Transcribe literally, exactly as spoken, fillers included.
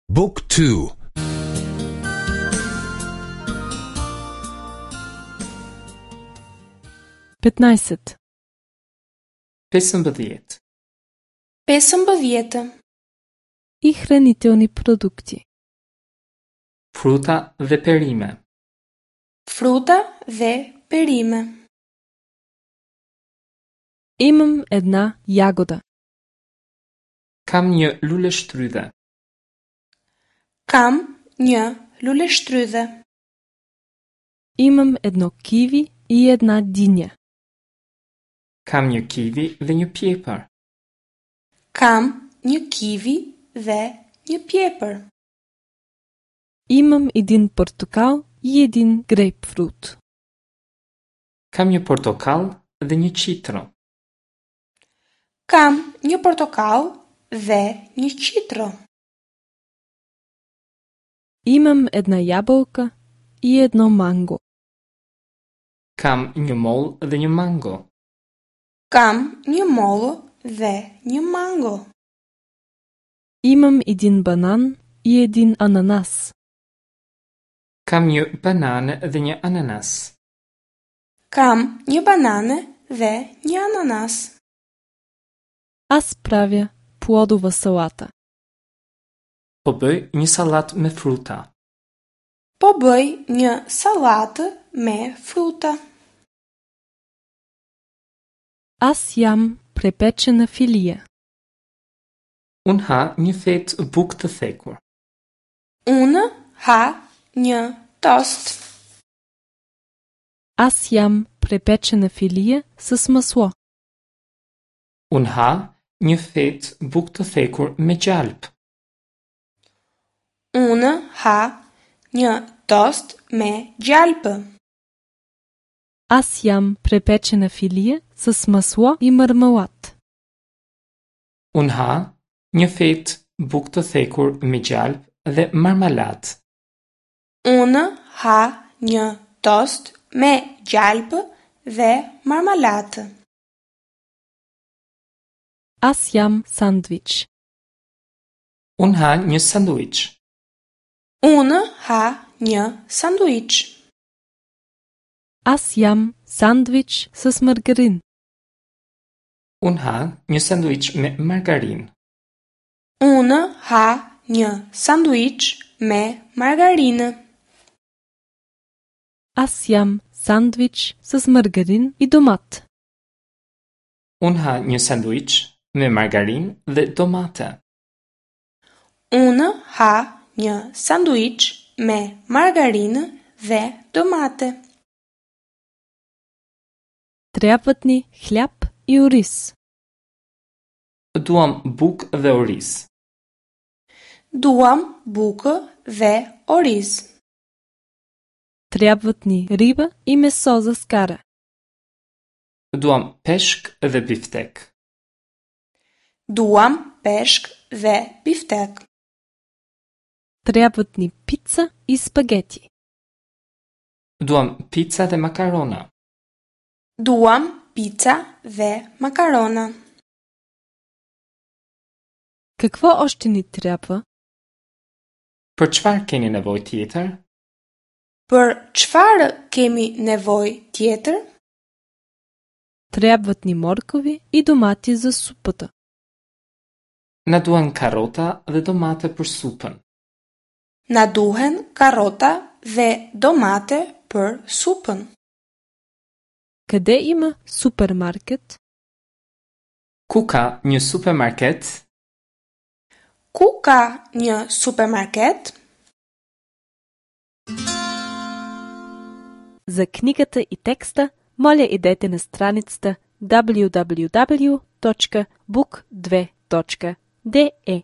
Book two. Петнаесет. Pesëmbëdhjetë. Pesëmbëdhjetë. И хранителни продукти. Fruta dhe perime. Fruta dhe perime. Имам една ягода. Kam një luleshtrydhe. Kam një luleshtrydhe. Имам едно киви и една диня. Kam një kivi dhe një pjepër. Kam një kivi dhe një pjepër. Имам един портокал и един грейпфрут. Kam një portokall dhe një qitro. Kam një portokall dhe një qitro. Имам една ябълка и едно манго. Kam një mollë dhe një mango. Kam një mollë dhe një mango. Имам един банан и един ананас. Kam një banane dhe një ananas. Kam një banane dhe një ananas. Аз правя плодова салата. Po bëj një sallatë me fruta. Po bëj një sallatë me fruta. Аз ям препечена филия. Unë ha një fetë bukë të thekur. Unë ha një tost. Аз ям препечена филия с масло. Unë ha një fetë bukë të thekur me gjalp. Unë ha një tost me gjalpë. Аз ям препечена филия с масло и мармалад. Unë ha një fetë bukë të thekur me gjalp dhe marmaladë. Unë ha një tost me gjalpë dhe marmaladë. Аз ям сандвич. Unë ha një sanduiç. Unë ha një sanduiç. Аз ям сандвич с маргарин. Unë ha një sanduiç me margarinë. Unë ha një sanduiç me margarinë. Аз ям сандвич с маргарин и домат. Unë ha një sanduiç me margarinë dhe domate. Unë ha një sanduiç me margarinë dhe domate. Трябват ни хляб и ориз. Duam bukë dhe oriz. Duam bukë dhe oriz. Трябват ни риба и месо за скара. Duam peshk dhe biftek. Duam peshk dhe biftek. Трябват ни пица и спагети. Duam pica dhe makarona. Duam pica dhe makarona. Какво още ни трябва? Për çfarë keni nevojë tjetër? Për çfarë kemi nevojë tjetër? Трябват ни моркови и домати за супата. Na duhen karota dhe domate për supën. Na duhen karota dhe domate për supën. Къде има супермаркет? Ku ka një supermarket? Ku ka një supermarket? За книгата и текста, моля идете на страницата w w w точка book две точка d e.